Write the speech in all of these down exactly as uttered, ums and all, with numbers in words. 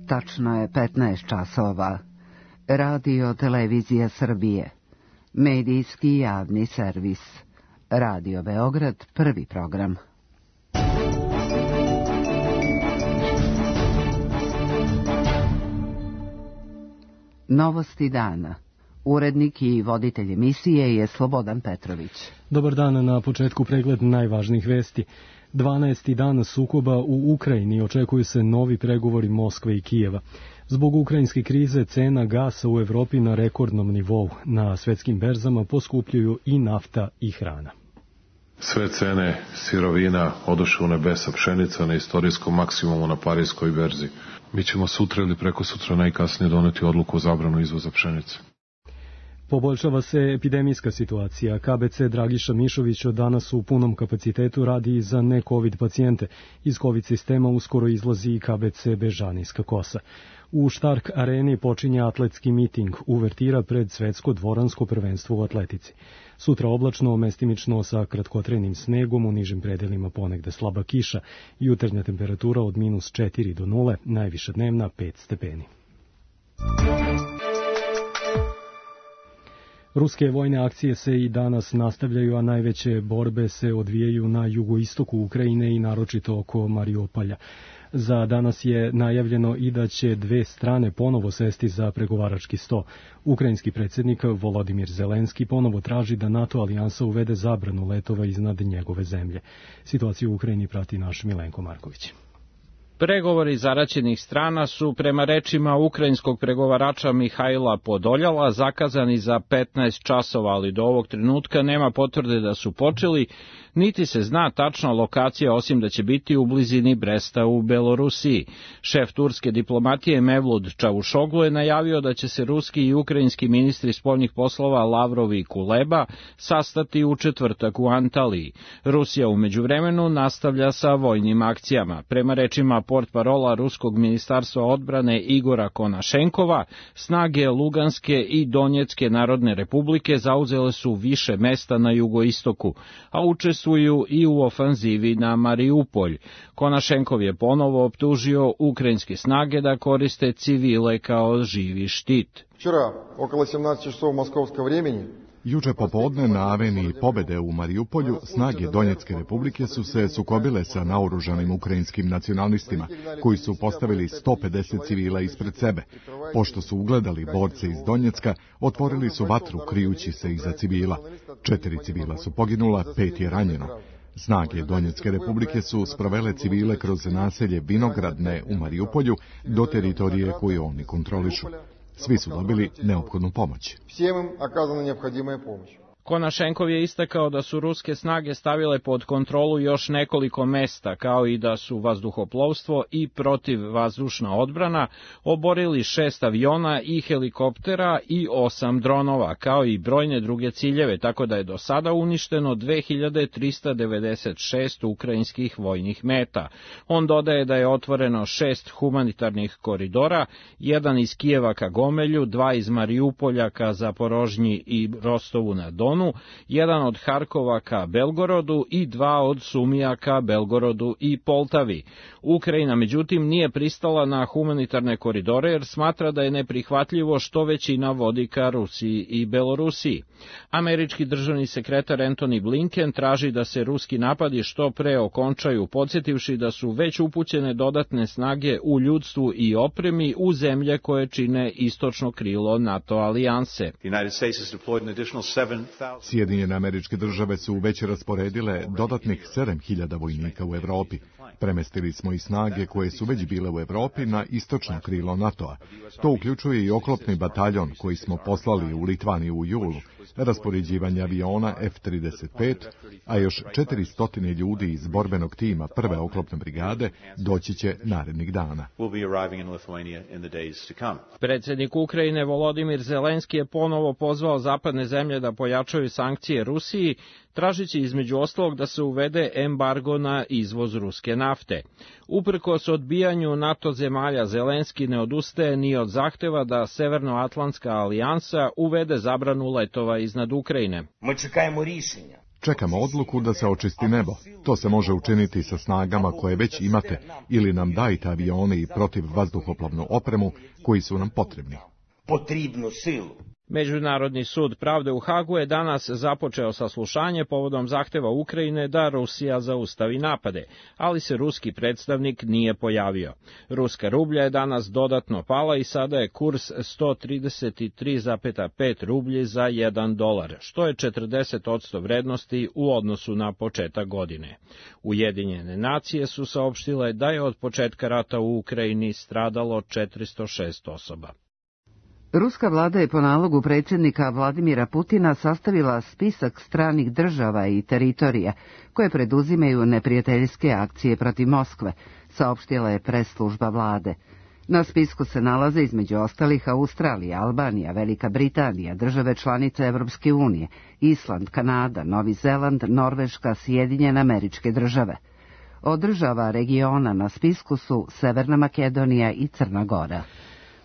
Tačno je petnaest časova. Radio Televizija Srbije. Medijski javni servis. Radio Beograd, prvi program. Novosti dana. Urednik i voditelj emisije je Slobodan Petrović. Dobar dan, na početku pregled najvažnijih vesti. dvanaesti dan sukoba u Ukrajini, očekuju se novi pregovori Moskve i Kijeva. Zbog ukrajinske krize cena gasa u Evropi na rekordnom nivou. Na svetskim berzama poskupljuju i nafta i hrana. Sve cene sirovina odoše u nebesa, pšenica na istorijskom maksimumu na parijskoj berzi. Mi ćemo sutra ili preko sutra najkasnije doneti odluku o zabranu izvoza pšenice. Poboljšava se epidemijska situacija. K B C Dragiša Mišović od danas u punom kapacitetu radi i za ne-COVID pacijente. Iz COVID sistema uskoro izlazi i K B C Bežanijska Kosa. U Štark areni počinje atletski miting, uvertira pred svetsko dvoransko prvenstvo u atletici. Sutra oblačno, mestimično sa kratkotrenim snegom, u nižim predelima ponegde slaba kiša, jutarnja temperatura od minus četiri do nule, najviša dnevna pet stepeni. Ruske vojne akcije se i danas nastavljaju, a najveće borbe se odvijaju na jugoistoku Ukrajine i naročito oko Mariupolja. Za danas je najavljeno i da će dve strane ponovo sesti za pregovarački sto. Ukrajinski predsjednik Volodimir Zelenski ponovo traži da NATO alijansa uvede zabranu letova iznad njegove zemlje. Situaciju u Ukrajini prati naš Milenko Marković. Pregovori zaraćenih strana su, prema rečima ukrajinskog pregovarača Mihajla Podoljala, zakazani za petnaest časova, ali do ovog trenutka nema potvrde da su počeli, niti se zna tačna lokacija, osim da će biti u blizini Bresta u Belorusiji. Šef turske diplomatije Mevlut Čavušoglu je najavio da će se ruski i ukrajinski ministri spoljnih poslova Lavrov i Kuleba sastati u četvrtak u Antaliji. Rusija u međuvremenu nastavlja sa vojnim akcijama. Prema rečima portparola Ruskog ministarstva odbrane Igora Konašenkova, snage Luganske i Donjecke narodne republike zauzele su više mesta na jugoistoku, a učestvuju i u ofanzivi na Mariupolj. Konašenkov je ponovo optužio ukrajinske snage da koriste civile kao živi štit. Včera, okolo sedamnaest časova moskovskog vremena, Juče popodne na aveniji Pobede u Mariupolju snage Donjecke republike su se sukobile sa naoružanim ukrajinskim nacionalistima, koji su postavili sto pedeset civila ispred sebe. Pošto su ugledali borce iz Donjecka, otvorili su vatru krijući se iza civila. Četiri civila su poginula, pet je ranjeno. Snage Donjecke republike su sprovele civile kroz naselje Vinogradne u Mariupolju do teritorije koju oni kontrolišu. Svi su dobili neophodnu pomoć. Всем им оказана необходимая помощь. Konašenkov je istakao da su ruske snage stavile pod kontrolu još nekoliko mesta, kao i da su vazduhoplovstvo i protivvazdušna odbrana oborili šest aviona i helikoptera i osam dronova, kao i brojne druge ciljeve, tako da je do sada uništeno dve hiljade trista devedeset šest ukrajinskih vojnih meta. On dodaje da je otvoreno šest humanitarnih koridora, jedan iz Kijeva ka Gomelju, dva iz Mariupolja ka Zaporožnji i Rostovu na Donu, jedan od Harkova ka Belgorodu i dva od Sumija ka Belgorodu i Poltavi. Ukrajina, međutim, nije pristala na humanitarne koridore jer smatra da je neprihvatljivo što većina vodi ka Rusiji i Belorusiji. Američki državni sekretar Antony Blinken traži da se ruski napadi što pre okončaju, podsjetivši da su već upućene dodatne snage u ljudstvu i opremi u zemlje koje čine istočno krilo NATO alijanse. Sjedinjene Američke Države su već rasporedile dodatnih sedam hiljada vojnika u Evropi. Premestili smo i snage koje su već bile u Evropi na istočno krilo NATO-a. To uključuje i oklopni bataljon koji smo poslali u Litvaniju u julu, raspoređivanje aviona F trideset pet, a još četiristo ljudi iz borbenog tima prve oklopne brigade doći će narednih dana. Predsjednik Ukrajine Volodimir Zelenski je ponovo pozvao zapadne zemlje da pojačaju sankcije Rusiji, tražići između ostalog da se uvede embargo na izvoz ruske nafte. Uprkos odbijanju NATO zemalja, Zelenski ne odustaje ni od zahteva da Severnoatlantska alijansa uvede zabranu letova iznad Ukrajine. Čekamo odluku da se očisti nebo. To se može učiniti sa snagama koje već imate ili nam dajte avione i protivvazduhoplovnu opremu koji su nam potrebni. Potrebnu silu. Međunarodni sud pravde u Hagu je danas započeo saslušanje povodom zahteva Ukrajine da Rusija zaustavi napade, ali se ruski predstavnik nije pojavio. Ruska rublja je danas dodatno pala i sada je kurs sto trideset tri zarez pet rublji za jedan dolar, što je četrdeset posto vrednosti u odnosu na početak godine. Ujedinjene nacije su saopštile da je od početka rata u Ukrajini stradalo četiristo šest osoba. Ruska vlada je po nalogu predsjednika Vladimira Putina sastavila spisak stranih država i teritorija koje preduzimaju neprijateljske akcije protiv Moskve, saopštila je pres služba vlade. Na spisku se nalaze između ostalih Australija, Albanija, Velika Britanija, države članice Evropske unije, Island, Kanada, Novi Zeland, Norveška, Sjedinjene Američke Države. Od država regiona na spisku su Severna Makedonija i Crna Gora.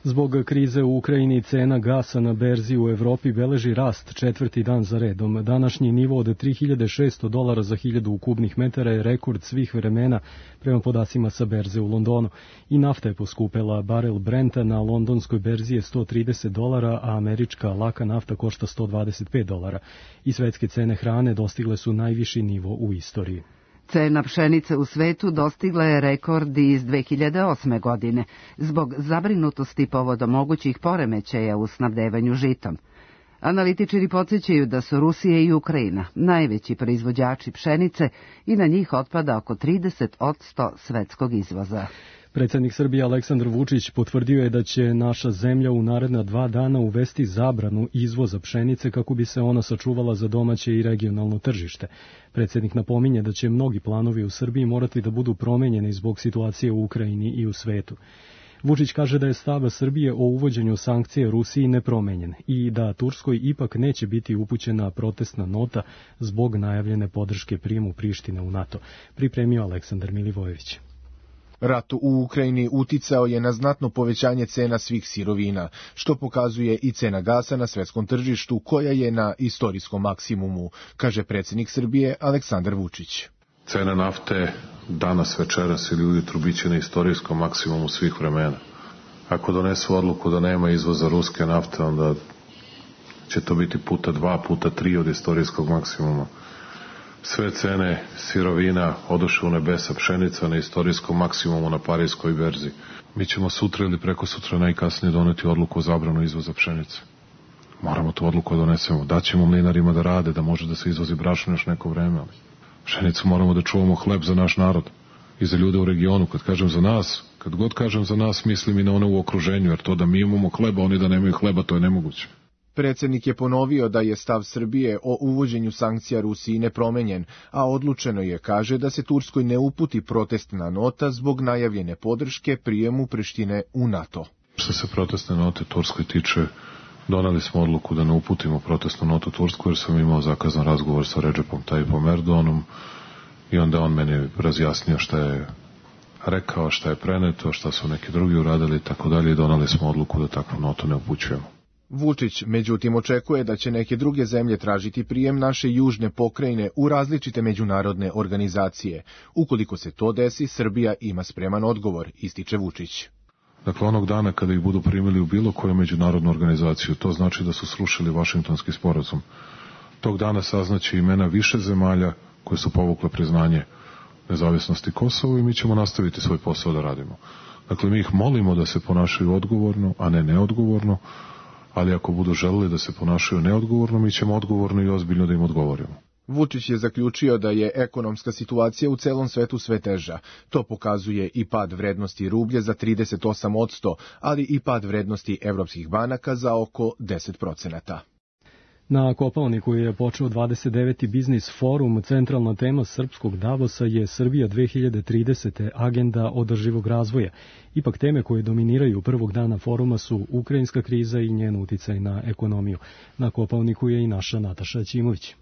Zbog krize u Ukrajini cena gasa na berzi u Evropi beleži rast četvrti dan za redom. Današnji nivo od tri hiljade šesto dolara za hiljadu kubnih metara je rekord svih vremena prema podacima sa berze u Londonu. I nafta je poskupela, barel Brenta na londonskoj berzi je sto trideset dolara, a američka laka nafta košta sto dvadeset pet dolara. I svetske cene hrane dostigle su najviši nivo u istoriji. Cena pšenice u svetu dostigla je rekord iz dve hiljade osme. godine zbog zabrinutosti povodom mogućih poremećaja u snabdevanju žitom. Analitičari podsjećaju da su Rusija i Ukrajina najveći proizvođači pšenice i na njih otpada oko trideset posto svetskog izvoza. Predsjednik Srbije Aleksandar Vučić potvrdio je da će naša zemlja u naredna dva dana uvesti zabranu izvoza pšenice kako bi se ona sačuvala za domaće i regionalno tržište. Predsjednik napominje da će mnogi planovi u Srbiji morati da budu promenjeni zbog situacije u Ukrajini i u svetu. Vučić kaže da je stav Srbije o uvođenju sankcije Rusiji nepromenjen i da Turskoj ipak neće biti upućena protestna nota zbog najavljene podrške prijemu Prištine u NATO, pripremio Aleksandar Milivojević. Rat u Ukrajini uticao je na znatno povećanje cena svih sirovina, što pokazuje i cena gasa na svetskom tržištu, koja je na istorijskom maksimumu, kaže predsjednik Srbije Aleksandar Vučić. Cena nafte danas, večeras ili ujutru biće na istorijskom maksimumu svih vremena. Ako donesu odluku da nema izvoza ruske nafte, onda će to biti puta dva, puta tri od istorijskog maksimuma. Sve cene sirovina odoše u nebesa, pšenica na istorijskom maksimumu na parijskoj berzi. Mi ćemo sutra ili preko sutra najkasnije doneti odluku o zabranu izvoza pšenice. Moramo tu odluku da donesemo. Daćemo mlinarima da rade, da može da se izvozi brašno još neko vreme, ali pšenicu moramo da čuvamo, hleb za naš narod i za ljude u regionu. Kad kažem za nas, kad god kažem za nas, mislim i na one u okruženju, jer to da mi imamo hleba, oni da nemaju hleba, to je nemoguće. Predsjednik je ponovio da je stav Srbije o uvođenju sankcija Rusiji nepromenjen, a odlučeno je, kaže, da se Turskoj ne uputi protestna nota zbog najavljene podrške prijemu Prištine u NATO. Što se protestne note Turskoj tiče, doneli smo odluku da ne uputimo protestnu notu Tursku, jer sam imao zakazan razgovor sa Redžepom Tayyipom Erdoganom i onda on meni razjasnio šta je rekao, šta je preneto, šta su neki drugi uradili i tako dalje i doneli smo odluku da takvu notu ne upućujemo. Vučić, međutim, očekuje da će neke druge zemlje tražiti prijem naše južne pokrajine u različite međunarodne organizacije. Ukoliko se to desi, Srbija ima spreman odgovor, ističe Vučić. Dakle, onog dana kada ih budu primili u bilo koju međunarodnu organizaciju, to znači da su srušili Vašingtonski sporazum. Tog dana saznaće imena više zemalja koje su povukle priznanje nezavisnosti Kosova i mi ćemo nastaviti svoj posao da radimo. Dakle, mi ih molimo da se ponašaju odgovorno, a ne neodgovorno, ali ako budu želeli da se ponašaju neodgovorno, mi ćemo odgovorno i ozbiljno da im odgovorimo. Vučić je zaključio da je ekonomska situacija u celom svetu sve teža. To pokazuje i pad vrednosti rublje za trideset osam posto, ali i pad vrednosti evropskih banaka za oko deset procenata. Na Kopaoniku je počeo dvadeset deveti biznis forum. Centralna tema srpskog Davosa je Srbija dve hiljade tridesete. agenda održivog razvoja. Ipak teme koje dominiraju prvog dana foruma su ukrajinska kriza i njen uticaj na ekonomiju. Na Kopaoniku je i naša Nataša Ćimović.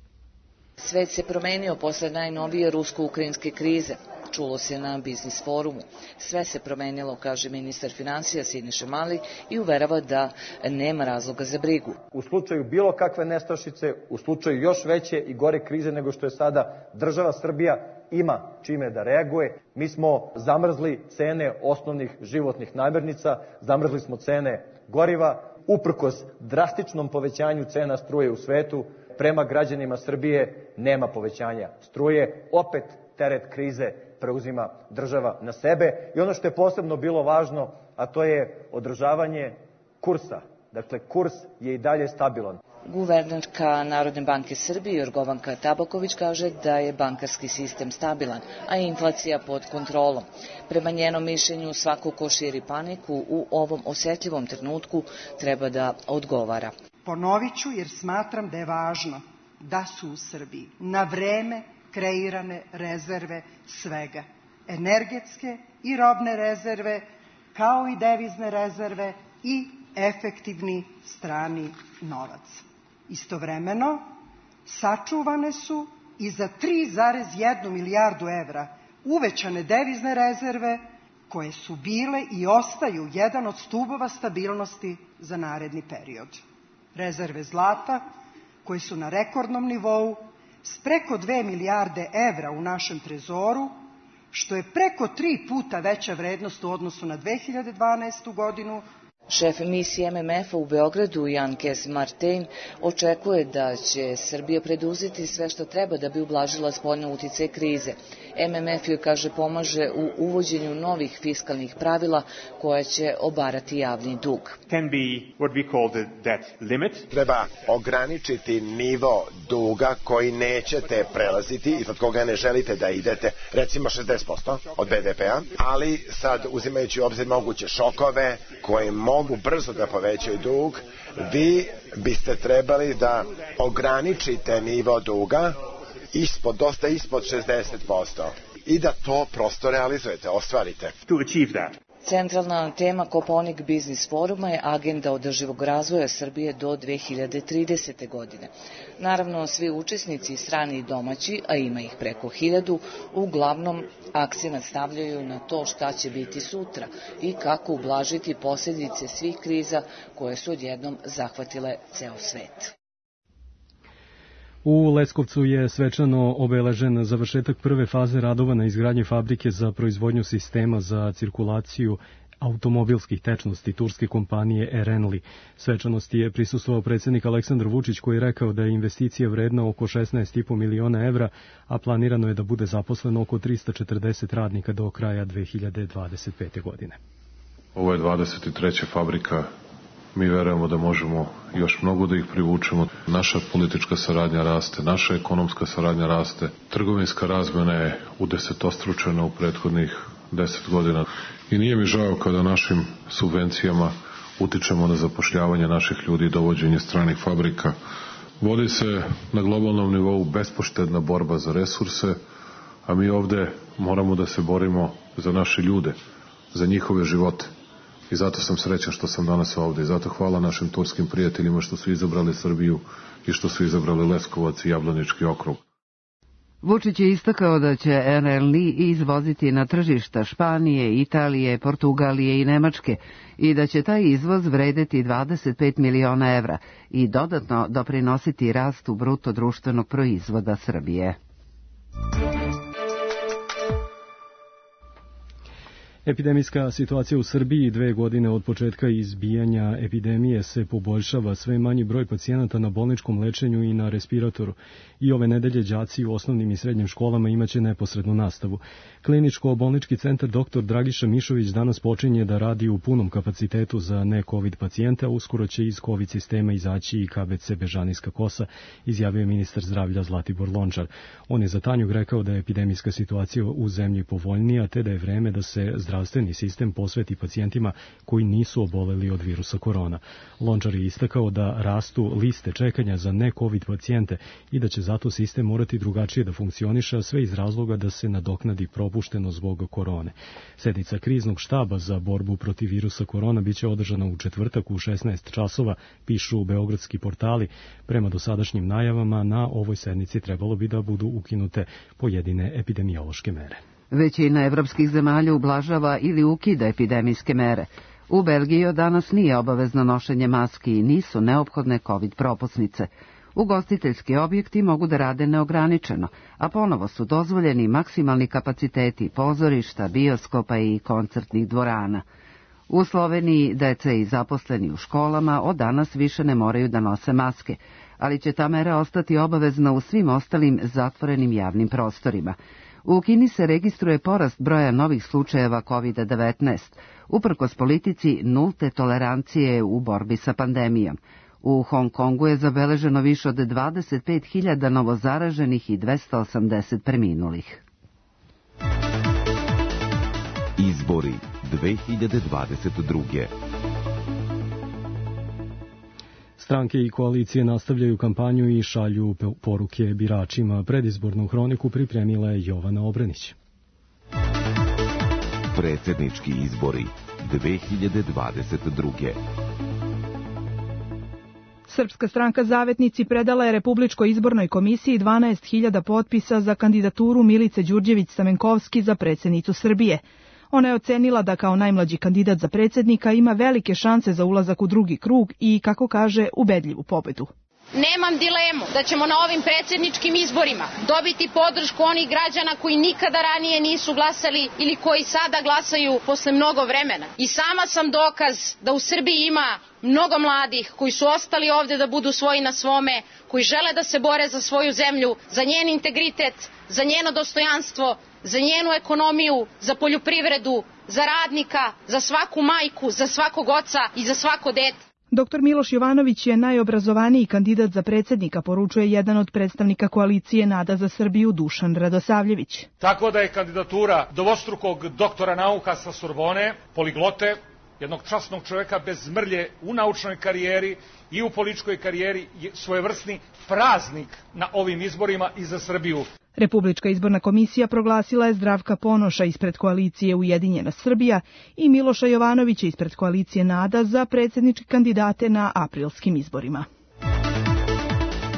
Svet se promenio posle najnovije rusko-ukrajinske krize. Čulo se na Biznis forumu. Sve se promenilo, kaže ministar finansija Siniša Mali i uverava da nema razloga za brigu. U slučaju bilo kakve nestašice, u slučaju još veće i gore krize nego što je sada, država Srbija ima čime da reaguje. Mi smo zamrzli cene osnovnih životnih namirnica, zamrzli smo cene goriva, uprkos drastičnom povećanju cena struje u svetu, prema građanima Srbije nema povećanja struje, opet teret krize preuzima država na sebe. I ono što je posebno bilo važno, a to je održavanje kursa. Dakle, kurs je i dalje stabilan. Guvernerka Narodne banke Srbije Jorgovanka Tabaković kaže da je bankarski sistem stabilan, a inflacija pod kontrolom. Prema njenom mišljenju, svako ko širi paniku u ovom osetljivom trenutku treba da odgovara. Ponovit ću jer smatram da je važno da su u Srbiji na vreme kreirane rezerve svega. Energetske i robne rezerve, kao i devizne rezerve i efektivni strani novac. Istovremeno, sačuvane su i za tri zarez jednu milijardu evra uvećane devizne rezerve koje su bile i ostaju jedan od stubova stabilnosti za naredni period. Rezerve zlata koje su na rekordnom nivou s preko dve milijarde evra u našem trezoru, što je preko tri puta veća vrednost u odnosu na dve hiljade dvanaestu godinu. Šef misije M M F-a u Beogradu, Jan Kes-Martin, očekuje da će Srbija preduzeti sve što treba da bi ublažila spoljne uticaje krize. M M F joj, kaže, pomaže u uvođenju novih fiskalnih pravila koja će obarati javni dug. Treba ograničiti nivo duga koji nećete prelaziti i od koga ne želite da idete, recimo šezdeset posto od B D P-a, ali sad uzimajući u obzir moguće šokove koje mogu brzo da povećaju dug, vi biste trebali da ograničite nivo duga ispod, dosta ispod šezdeset posto i da to prosto realizujete, ostvarite. Centralna tema Kopaonik Biznis foruma je agenda održivog razvoja Srbije do dve hiljade tridesete. godine. Naravno, svi učesnici, strani i domaći, a ima ih preko hiljadu, uglavnom akcenat stavljaju na to šta će biti sutra i kako ublažiti posljedice svih kriza koje su odjednom zahvatile ceo svet. U Leskovcu je svečano obeležen završetak prve faze radova na izgradnji fabrike za proizvodnju sistema za cirkulaciju automobilskih tečnosti turske kompanije Erenli. Svečanosti je prisustvovao predsjednik Aleksandar Vučić koji je rekao da je investicija vredna oko šesnaest i po miliona evra, a planirano je da bude zaposleno oko tristo četrdeset radnika do kraja dve hiljade dvadeset pete. godine. Ovo je dvadeset treća fabrika. Mi verujemo da možemo još mnogo da ih privučemo. Naša politička saradnja raste, naša ekonomska saradnja raste, trgovinska razmena je udesetostručena u prethodnih deset godina. I nije mi žao kada našim subvencijama utičemo na zapošljavanje naših ljudi i dovođenje stranih fabrika. Vodi se na globalnom nivou bespoštedna borba za resurse, a mi ovde moramo da se borimo za naše ljude, za njihove živote. I zato sam srećan što sam danas ovde. I zato hvala našim turskim prijateljima što su izabrali Srbiju i što su izabrali Leskovac i Jablanički okrug. Vučić je istakao da će Erenli izvoziti na tržišta Španije, Italije, Portugalije i Nemačke i da će taj izvoz vredeti dvadeset pet miliona evra i dodatno doprinositi rastu bruto društvenog proizvoda Srbije. Epidemijska situacija u Srbiji dve godine od početka izbijanja epidemije se poboljšava, sve manji broj pacijenata na bolničkom lečenju i na respiratoru. I ove nedelje đaci u osnovnim i srednjim školama imaće neposrednu nastavu. Kliničko-bolnički centar doktor Dragiša Mišović danas počinje da radi u punom kapacitetu za ne-COVID pacijente, a uskoro će iz COVID sistema izaći i K B C Bežanijska Kosa, izjavio je ministar zdravlja Zlatibor Lončar. On je za Tanjug rekao da je epidemijska situacija u zemlji povoljnija, te da je vreme da se zdravstveno zdravstveni sistem posveti pacijentima koji nisu oboleli od virusa korona. Lončar je istakao da rastu liste čekanja za ne-covid pacijente i da će zato sistem morati drugačije da funkcioniše, a sve iz razloga da se nadoknadi propušteno zbog korone. Sednica kriznog štaba za borbu protiv virusa korona biće održana u četvrtak u šesnaest časova, pišu beogradski portali. Prema dosadašnjim najavama na ovoj sednici trebalo bi da budu ukinute pojedine epidemiološke mere. Većina evropskih zemalja ublažava ili ukida epidemijske mere. U Belgiji od danas nije obavezno nošenje maski i nisu neophodne covid propusnice. Ugostiteljski objekti mogu da rade neograničeno, a ponovo su dozvoljeni maksimalni kapaciteti pozorišta, bioskopa i koncertnih dvorana. U Sloveniji deca i zaposleni u školama od danas više ne moraju da nose maske, ali će ta mera ostati obavezna u svim ostalim zatvorenim javnim prostorima. U Kini se registruje porast broja novih slučajeva kovid devetnaest, uprkos politici nulte tolerancije u borbi sa pandemijom. U Hong Kongu je zabeleženo više od dvadeset pet hiljada novozaraženih i dvesta osamdeset preminulih. Izbori dve hiljade dvadeset druge. Stranke i koalicije nastavljaju kampanju i šalju poruke biračima. Predizbornu hroniku pripremila je Jovana Obrenić. Predsjednički izbori dve hiljade dvadeset druge. Srpska stranka Zavetnici predala je Republičkoj izbornoj komisiji dvanaest hiljada potpisa za kandidaturu Milice Đurđević-Stamenkovski za predsjednicu Srbije. Ona je ocenila da kao najmlađi kandidat za predsjednika ima velike šanse za ulazak u drugi krug i, kako kaže, ubedljivu pobedu. Nemam dilemu da ćemo na ovim predsjedničkim izborima dobiti podršku onih građana koji nikada ranije nisu glasali ili koji sada glasaju posle mnogo vremena. I sama sam dokaz da u Srbiji ima mnogo mladih koji su ostali ovde da budu svoji na svome, koji žele da se bore za svoju zemlju, za njen integritet, za njeno dostojanstvo, za njenu ekonomiju, za poljoprivredu, za radnika, za svaku majku, za svakog oca i za svako dete. Doktor Miloš Jovanović je najobrazovaniji kandidat za predsjednika, poručuje jedan od predstavnika koalicije Nada za Srbiju, Dušan Radosavljević. Tako da je kandidatura dvostrukog doktora nauka sa Sorbone, poliglote, jednog časnog čovjeka bez mrlje u naučnoj karijeri i u političkoj karijeri, svojevrsni praznik na ovim izborima i za Srbiju. Republička izborna komisija proglasila je Zdravka Ponoša ispred koalicije Ujedinjena Srbija i Miloša Jovanovića ispred koalicije Nada za predsjedničke kandidate na aprilskim izborima.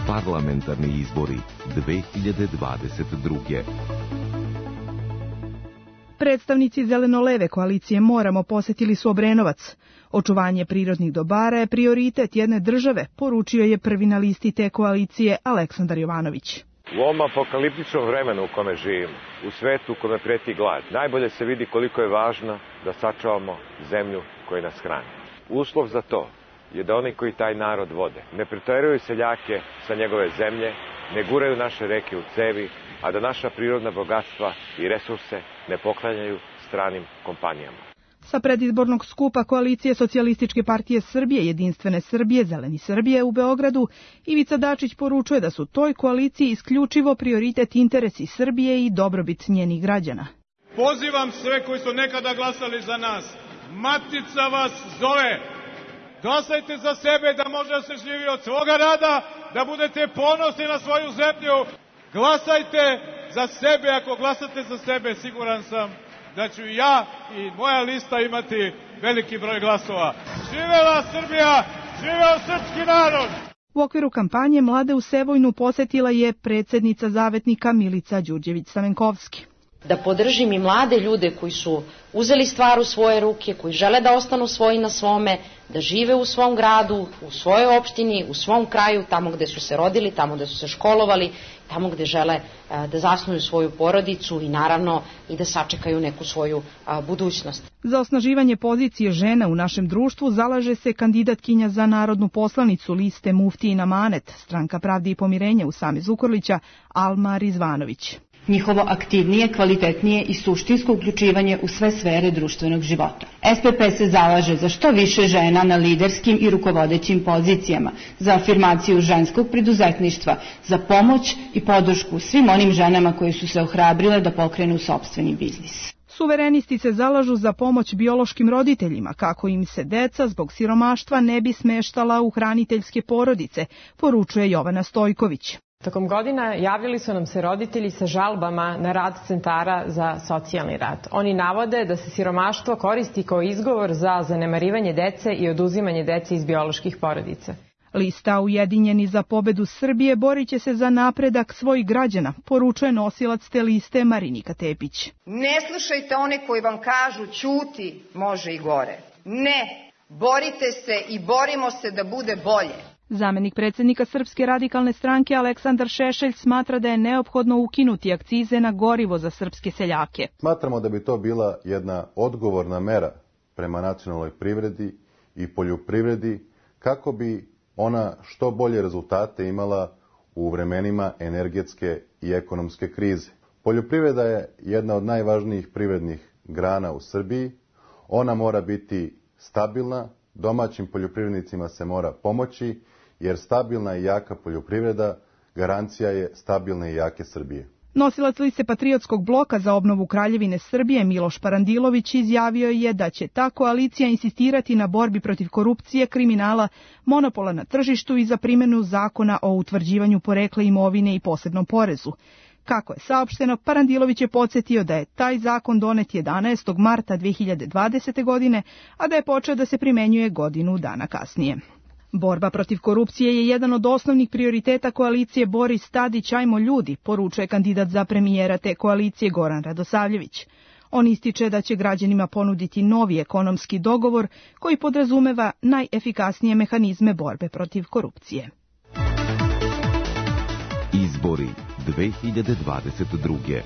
Parlamentarni izbori dve hiljade dvadeset druge. Predstavnici zeleno-leve koalicije Moramo posetili su Obrenovac. Očuvanje prirodnih dobara je prioritet jedne države, poručio je prvi na listi te koalicije Aleksandar Jovanović. U ovom apokaliptičnom vremenu u kome živimo, u svetu u kome preti glad, najbolje se vidi koliko je važno da sačuvamo zemlju koja nas hrani. Uslov za to je da oni koji taj narod vode ne preteruju seljake sa njegove zemlje, ne guraju naše reke u cevi, a da naša prirodna bogatstva i resurse ne poklanjaju stranim kompanijama. Sa predizbornog skupa koalicije Socijalističke partije Srbije, Jedinstvene Srbije, Zeleni Srbije u Beogradu, Ivica Dačić poručuje da su toj koaliciji isključivo prioritet interesi Srbije i dobrobit njenih građana. Pozivam sve koji su nekada glasali za nas. Matica vas zove. Glasajte za sebe da može da se živi od svoga rada, da budete ponosni na svoju zemlju. Glasajte za sebe, ako glasate za sebe, siguran sam da ću ja i moja lista imati veliki broj glasova. Živela Srbija, živeo srpski narod! U okviru kampanje mlade u Sevojnu posetila je predsjednica Zavetnika Milica Đurđević-Stamenkovski. Da podržim i mlade ljude koji su uzeli stvar u svoje ruke, koji žele da ostanu svoji na svome, da žive u svom gradu, u svojoj opštini, u svom kraju, tamo gde su se rodili, tamo gde su se školovali, tamo gde žele da zasnuju svoju porodicu i naravno i da sačekaju neku svoju budućnost. Za osnaživanje pozicije žena u našem društvu zalaže se kandidatkinja za narodnu poslanicu liste Muftijin Amanet, Stranka pravde i pomirenja Usame Zukorlića, Alma Rizvanović. Njihovo aktivnije, kvalitetnije i suštinsko uključivanje u sve sfere društvenog života. S P P se zalaže za što više žena na liderskim i rukovodećim pozicijama, za afirmaciju ženskog preduzetništva, za pomoć i podršku svim onim ženama koje su se ohrabrile da pokrenu sopstveni biznis. Suverenisti se zalažu za pomoć biološkim roditeljima kako im se deca zbog siromaštva ne bi smeštala u hraniteljske porodice, poručuje Jovana Stojković. Tokom godina javljali su nam se roditelji sa žalbama na rad centara za socijalni rad. Oni navode da se siromaštvo koristi kao izgovor za zanemarivanje dece i oduzimanje dece iz bioloških porodica. Lista Ujedinjeni za pobedu Srbije borit će se za napredak svojih građana, poručuje nosilac te liste Marinika Tepić. Ne slušajte one koji vam kažu ćuti, može i gore. Ne, borite se i borimo se da bude bolje. Zamenik predsjednika Srpske radikalne stranke Aleksandar Šešelj smatra da je neophodno ukinuti akcize na gorivo za srpske seljake. Smatramo da bi to bila jedna odgovorna mera prema nacionalnoj privredi i poljoprivredi kako bi ona što bolje rezultate imala u vremenima energetske i ekonomske krize. Poljoprivreda je jedna od najvažnijih privrednih grana u Srbiji. Ona mora biti stabilna, domaćim poljoprivrednicima se mora pomoći, jer stabilna i jaka poljoprivreda garancija je stabilne i jake Srbije. Nosilac liste Patriotskog bloka za obnovu Kraljevine Srbije Miloš Parandilović izjavio je da će ta koalicija insistirati na borbi protiv korupcije, kriminala, monopola na tržištu i za primjenu zakona o utvrđivanju porekla imovine i posebnom porezu. Kako je saopšteno, Parandilović je podsjetio da je taj zakon donet jedanaestog marta dve hiljade dvadesete. godine, a da je počeo da se primenjuje godinu dana kasnije. Borba protiv korupcije je jedan od osnovnih prioriteta koalicije Boris Tadić Ajmo ljudi, poručuje kandidat za premijera te koalicije Goran Radosavljević. On ističe da će građanima ponuditi novi ekonomski dogovor koji podrazumeva najefikasnije mehanizme borbe protiv korupcije. Izbori dve hiljade dvadeset druge.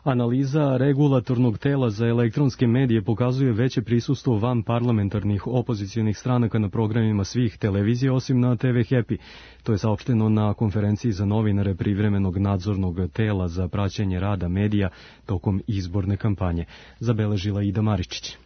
Analiza regulatornog tela za elektronske medije pokazuje veće prisustvo van parlamentarnih opozicionih stranaka na programima svih televizija osim na te ve Happy. To je saopšteno na konferenciji za novinare privremenog nadzornog tela za praćenje rada medija tokom izborne kampanje, zabeležila Ida Maričić.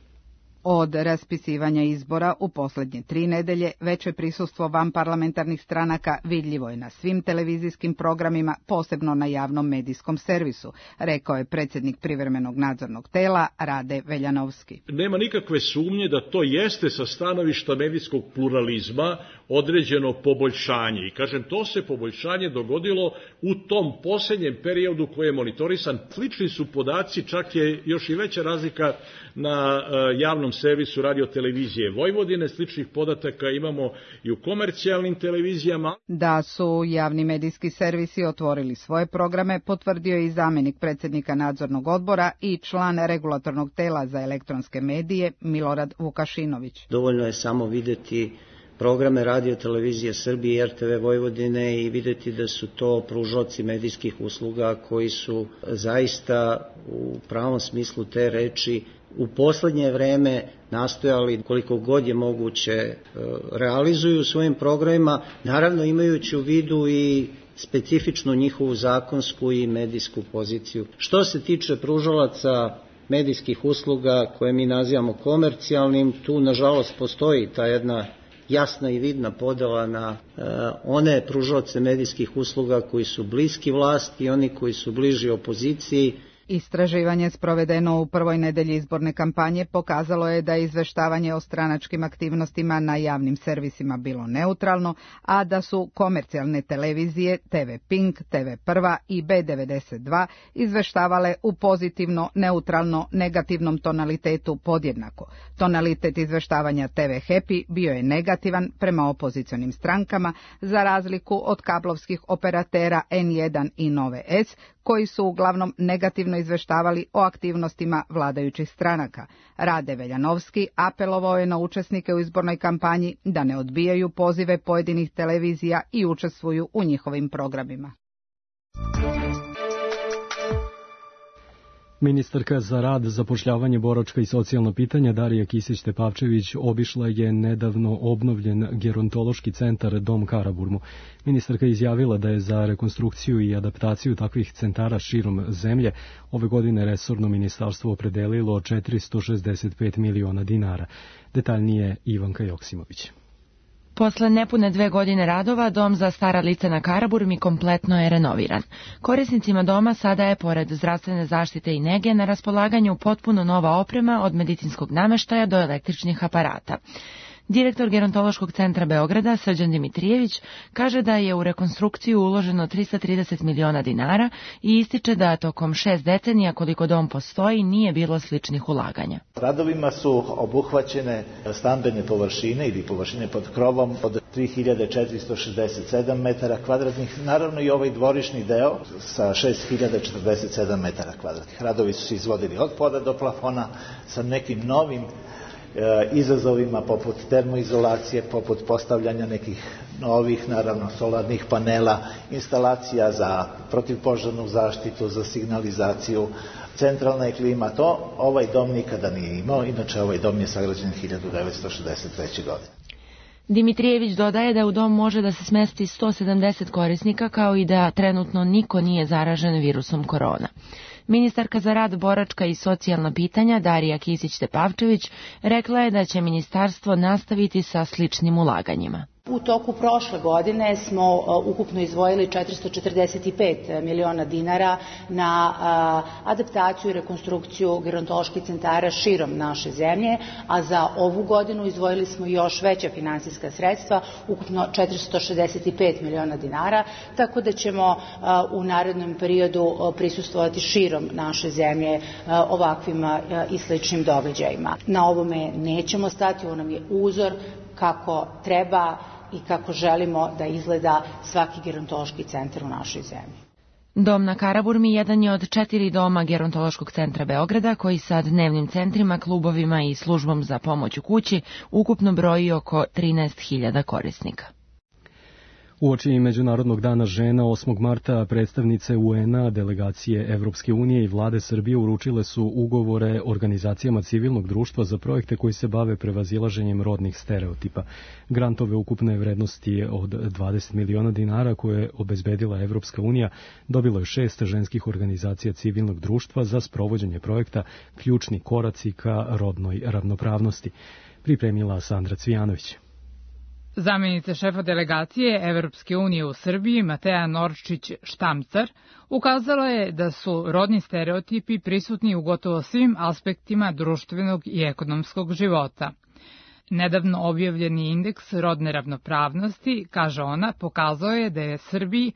Od raspisivanja izbora u posljednje tri nedelje veće prisustvo vanparlamentarnih stranaka vidljivo je na svim televizijskim programima, posebno na javnom medijskom servisu, rekao je predsjednik privremenog nadzornog tela Rade Veljanovski. Nema nikakve sumnje da to jeste sa stanovišta medijskog pluralizma određeno poboljšanje. I kažem, to se poboljšanje dogodilo u tom posljednjem periodu koji je monitorisan. Slični su podaci, čak je još i veća razlika na javnom servisu radio-televizije Vojvodine, sličnih podataka imamo i u komercijalnim televizijama. Da su javni medijski servisi otvorili svoje programe, potvrdio je i zamjenik predsjednika nadzornog odbora i član regulatornog tela za elektronske medije Milorad Vukašinović. Dovoljno je samo vidjeti programe radio-televizije Srbije i er te ve Vojvodine i vidjeti da su to pružaoci medijskih usluga koji su zaista u pravom smislu te reči u poslednje vreme nastojali koliko god je moguće realizuju u svojim programima, naravno imajući u vidu i specifičnu njihovu zakonsku i medijsku poziciju. Što se tiče pružalaca medijskih usluga koje mi nazivamo komercijalnim, tu nažalost postoji ta jedna jasna i vidna podela na uh, one pružaoce medijskih usluga koji su bliski vlasti i oni koji su bliži opoziciji. Istraživanje sprovedeno u prvoj nedelji izborne kampanje pokazalo je da je izveštavanje o stranačkim aktivnostima na javnim servisima bilo neutralno, a da su komercijalne televizije te ve Pink, te ve Prva i be devedeset dva izveštavale u pozitivno, neutralno, negativnom tonalitetu podjednako. Tonalitet izveštavanja te ve Happy bio je negativan prema opozicionim strankama, za razliku od kablovskih operatera en jedan i Nove S, koji su uglavnom negativno izveštavali o aktivnostima vladajućih stranaka. Rade Veljanovski apelovao je na učesnike u izbornoj kampanji da ne odbijaju pozive pojedinih televizija i učestvuju u njihovim programima. Ministarka za rad, zapošljavanje, boračka i socijalno pitanja Darija Kisić-Tepavčević obišla je nedavno obnovljen gerontološki centar Dom Karaburmu. Ministarka je izjavila da je za rekonstrukciju i adaptaciju takvih centara širom zemlje ove godine resorno ministarstvo opredelilo četiristo šezdeset pet miliona dinara. Detaljnije Ivanka Joksimović. Posle nepune dve godine radova, dom za stara lica na Karaburmi kompletno je renoviran. Korisnicima doma sada je, pored zdravstvene zaštite i nege, na raspolaganju potpuno nova oprema od medicinskog nameštaja do električnih aparata. Direktor Gerontološkog centra Beograda, Srđan Dimitrijević, kaže da je u rekonstrukciju uloženo trista trideset miliona dinara i ističe da tokom šest decenija koliko dom postoji nije bilo sličnih ulaganja. Radovima su obuhvaćene stambene površine ili površine pod krovom od tri hiljade četiristo šezdeset sedam metara kvadratnih, naravno i ovaj dvorišni deo sa šest hiljada četrdeset sedam metara kvadratnih. Radovi su se izvodili od poda do plafona sa nekim novim izazovima poput termoizolacije, poput postavljanja nekih novih, naravno, solarnih panela, instalacija za protivpožarnu zaštitu, za signalizaciju, centralna je klima. To ovaj dom nikada nije imao, inače ovaj dom je sagrađen hiljadu devetsto šezdeset treće. godine. Dimitrijević dodaje da u dom može da se smesti sto sedamdeset korisnika, kao i da trenutno niko nije zaražen virusom korona. Ministarka za rad, boračka i socijalna pitanja Darija Kisić-Tepavčević rekla je da će ministarstvo nastaviti sa sličnim ulaganjima. U toku prošle godine smo ukupno izdvojili četiristo četrdeset pet miliona dinara na adaptaciju i rekonstrukciju gerontoloških centara širom naše zemlje, a za ovu godinu izdvojili smo još veća finansijska sredstva, ukupno četiristo šezdeset pet miliona dinara, tako da ćemo u narednom periodu prisustvovati širom naše zemlje ovakvim i sličnim događajima. Na ovome nećemo stati, ovo nam je uzor kako treba i kako želimo da izgleda svaki gerontološki centar u našoj zemlji. Dom na Karaburmi jedan je od četiri doma Gerontološkog centra Beograda, koji sa dnevnim centrima, klubovima i službom za pomoć u kući ukupno broji oko trinaest hiljada korisnika. Uoči Međunarodnog dana žena osmog marta predstavnice U N A, delegacije Evropske unije i vlade Srbije uručile su ugovore organizacijama civilnog društva za projekte koji se bave prevazilaženjem rodnih stereotipa. Grantove ukupne vrednosti od dvadeset miliona dinara koje je obezbedila Evropska unija dobilo je šest ženskih organizacija civilnog društva za sprovođenje projekta Ključni koraci ka rodnoj ravnopravnosti. Pripremila Sandra Cvijanović. Zamenica šefa delegacije Evropske unije u Srbiji, Mateja Norčić-Štamcar, ukazala je da su rodni stereotipi prisutni u gotovo svim aspektima društvenog i ekonomskog života. Nedavno objavljeni indeks rodne ravnopravnosti, kaže ona, pokazao je da je Srbiji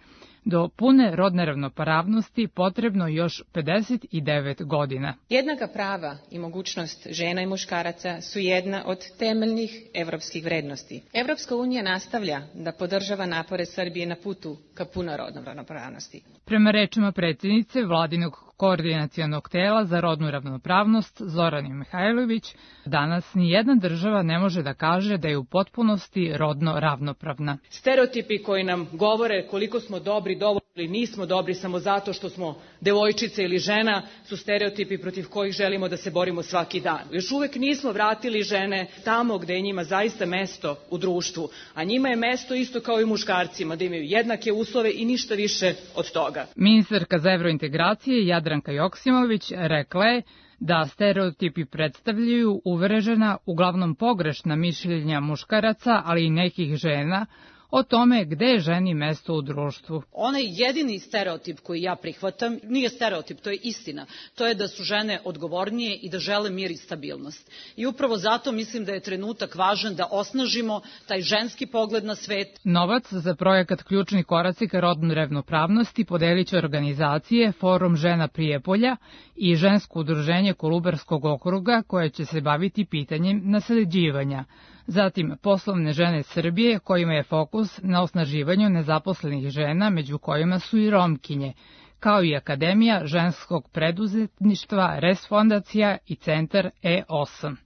do pune rodne ravnopravnosti potrebno još pedeset devet godina. Jednaka prava i mogućnost žena i muškaraca su jedna od temeljnih evropskih vrednosti. Evropska unija nastavlja da podržava napore Srbije na putu ka punoj rodnoj ravnopravnosti. Prema rečima predsjednice Vladinog koordinacionog tela za rodnu ravnopravnost Zorane Mihajlović, danas nijedna država ne može da kaže da je u potpunosti rodno ravnopravna. Stereotipi koji nam govore koliko smo dobri, dovoljni ili nismo dobri samo zato što smo devojčice ili žena, su stereotipi protiv kojih želimo da se borimo svaki dan. Još uvek nismo vratili žene tamo gde je njima zaista mesto u društvu, a njima je mesto isto kao i muškarcima, da imaju jednake uslove i ništa više od toga. Ministarka za evrointegracije Jadranka Joksimović rekla je da stereotipi predstavljaju uvrežena, uglavnom pogrešna mišljenja muškaraca, ali i nekih žena, o tome gde je ženi mesto u društvu. Onaj jedini stereotip koji ja prihvatam, nije stereotip, to je istina, to je da su žene odgovornije i da žele mir i stabilnost. I upravo zato mislim da je trenutak važan da osnažimo taj ženski pogled na svet. Novac za projekat Ključni koraci ka rodnoj ravnopravnosti podelit će organizacije Forum žena Prijepolja i Žensko udruženje Kolubarskog okruga, koje će se baviti pitanjem nasleđivanja. Zatim poslovne žene Srbije, kojima je fokus na osnaživanju nezaposlenih žena, među kojima su i Romkinje, kao i Akademija ženskog preduzetništva, Res fondacija i centar E osam.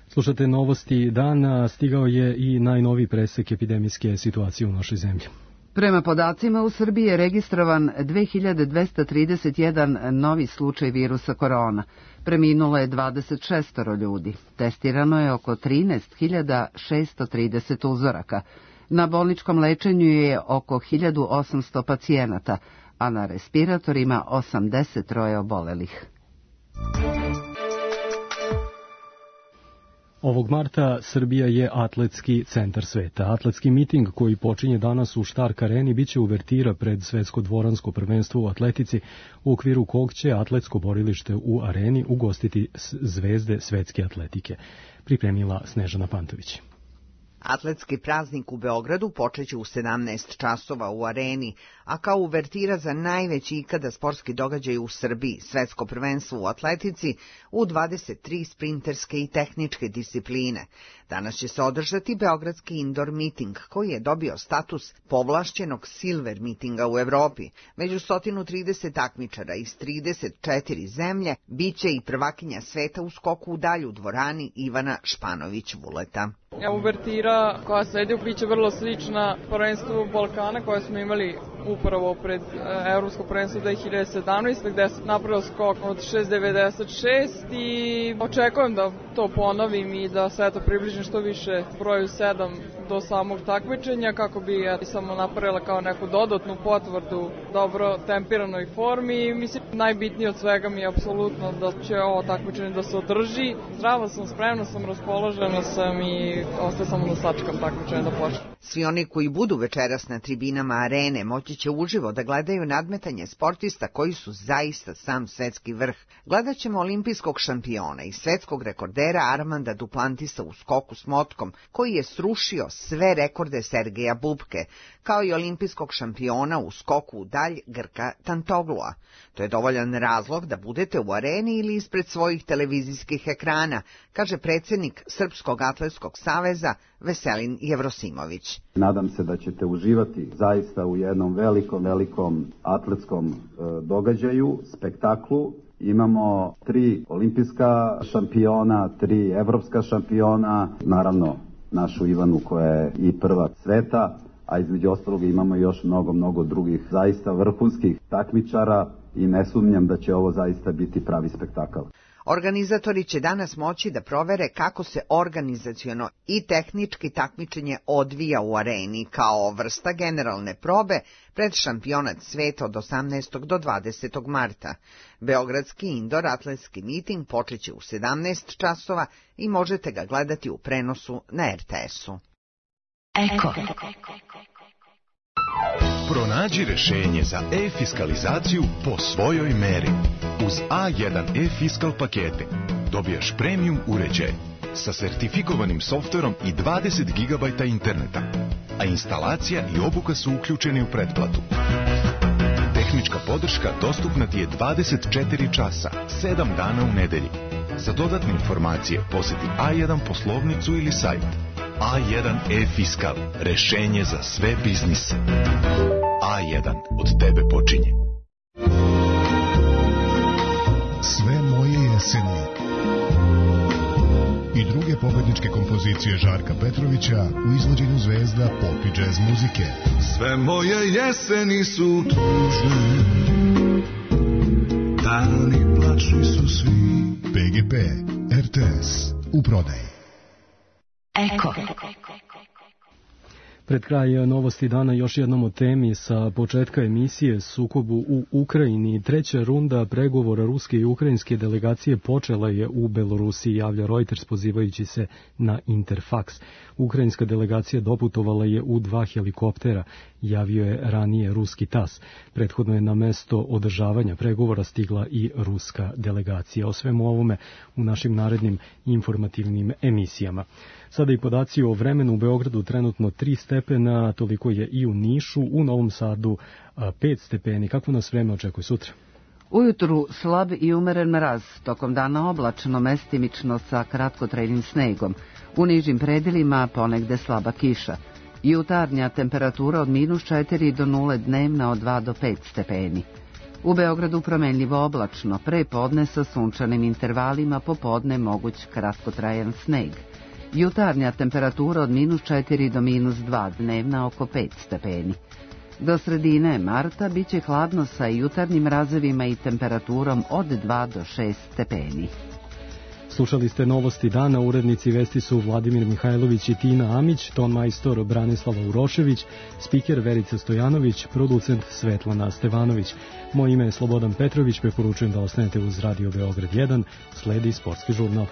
Slušate novosti dana, stigao je i najnoviji presek epidemijske situacije u našoj zemlji. Prema podacima, u Srbiji je registrovan dve hiljade dvesta trideset jedan novi slučaj virusa korona. Preminulo je dvadeset šest ljudi. Testirano je oko trinaest hiljada šesto trideset uzoraka. Na bolničkom lečenju je oko hiljadu osamsto pacijenata, a na respiratorima osamdeset troje obolelih. Ovog marta Srbija je atletski centar sveta. Atletski miting koji počinje danas u Stark areni biće uvertira pred svetsko dvoransko prvenstvo u atletici, u okviru kog će atletsko borilište u areni ugostiti zvezde svetske atletike. Pripremila Snežana Pantović. Atletski praznik u Beogradu počeće u sedamnaest časova u areni, a kao uvertira za najveći ikada sportski događaj u Srbiji, svetsko prvenstvo u atletici u dvadeset tri sprinterske i tehničke discipline. Danas će se održati Beogradski indoor miting, koji je dobio status povlašćenog silver mitinga u Evropi. Među sto trideset takmičara iz trideset četiri zemlje biće i prvakinja sveta u skoku u dalju u dvorani Ivana Španović-Vuleta. Uvertira koja sledi biće vrlo slična prvenstvu Balkana koje smo imali upravo pred Evropsko prvenstvo dve hiljade sedamnaeste. gde sam napravio skok od šest devedeset šest i očekujem da to ponovim i da se eto približim što više broju sedam do samog takmičenja kako bi ja samo napravila kao neku dodatnu potvrdu dobro tempiranoj formi. Mislim, najbitnije od svega mi je apsolutno da će ovo takmičenje da se održi. Zdrava sam, spremna sam, raspoložena sam i ostaje samo da sačekam takmičenje da počne. Svi oni koji budu večeras na tribinama arene moći će uživo da gledaju nadmetanje sportista koji su zaista sam svetski vrh. Gledat ćemo olimpijskog šampiona i svetskog rekordera Armanda Duplantisa u skoku s motkom, koji je srušio sve rekorde Sergeja Bubke, kao i olimpijskog šampiona u skoku u dalj Grka Tantoglua. To je dovoljan razlog da budete u areni ili ispred svojih televizijskih ekrana, kaže predsjednik Srpskog atletskog saveza Veselin Jevrosimović. Nadam se da ćete uživati zaista u jednom velikom, velikom atletskom e, događaju, spektaklu. Imamo tri olimpijska šampiona, tri evropska šampiona, naravno našu Ivanu koja je i prva sveta, a između ostalog imamo još mnogo, mnogo drugih zaista vrhunskih takmičara i ne sumnjam da će ovo zaista biti pravi spektakl. Organizatori će danas moći da provere kako se organizaciono i tehnički takmičenje odvija u areni kao vrsta generalne probe pred šampionat sveta od osamnaestog do dvadesetog marta. Beogradski indoor atletski miting počeće u sedamnaest časova i možete ga gledati u prenosu na er te esu. Eko. Pronađi rešenje za e-fiskalizaciju po svojoj meri. Uz A jedan e-fiskal pakete dobijaš premium uređaj sa sertifikovanim softverom i dvadeset gigabajta interneta, a instalacija i obuka su uključeni u pretplatu. Tehnička podrška dostupna ti je dvadeset četiri časa, sedam dana u nedelji. Za dodatne informacije poseti A jedan poslovnicu ili sajt. A jedan e-fiskal, rešenje za sve biznise. A jedan, od tebe počinje. Sve moje jeseni i druge pobedničke kompozicije Žarka Petrovića u izvođenju zvezda pop i džez muzike. Sve moje jeseni su tužne, dani plačni su svi. P G P, er te es, u prodaji. Eko. Pred kraj novosti dana još jednom o temi sa početka emisije sukobu u Ukrajini. Treća runda pregovora ruske i ukrajinske delegacije počela je u Belorusiji, javlja Reuters pozivajući se na Interfax. Ukrajinska delegacija doputovala je u dva helikoptera, javio je ranije ruski tas. Prethodno je na mesto održavanja pregovora stigla i ruska delegacija. O svemu ovome u našim narednim informativnim emisijama. Sada i podaci o vremenu. U Beogradu trenutno tri stepena, toliko je i u Nišu, u Novom Sadu pet stepeni. Kako nas vreme očekuje sutra? Ujutru slab i umeren mraz, tokom dana oblačno, mestimično sa kratkotrajnim snegom. U nižim predelima ponegde slaba kiša. Jutarnja temperatura od minus četiri do nule, dnevna od dva do pet stepeni. U Beogradu promenljivo oblačno, pre podne sa sunčanim intervalima, popodne moguć kratkotrajan sneg. Jutarnja temperatura od minus četiri do minus dva, dnevna oko pet stepeni. Do sredine marta biće hladno sa jutarnjim mrazevima i temperaturom od dva do šest stepeni. Slušali ste novosti dana, urednici vesti su Vladimir Mihajlović i Tina Amić, ton majstor Branislava Urošević, spiker Verica Stojanović, producent Svetlana Stevanović. Moje ime je Slobodan Petrović, preporučujem da ostanete uz Radio Beograd jedan, sledi sportski žurnal.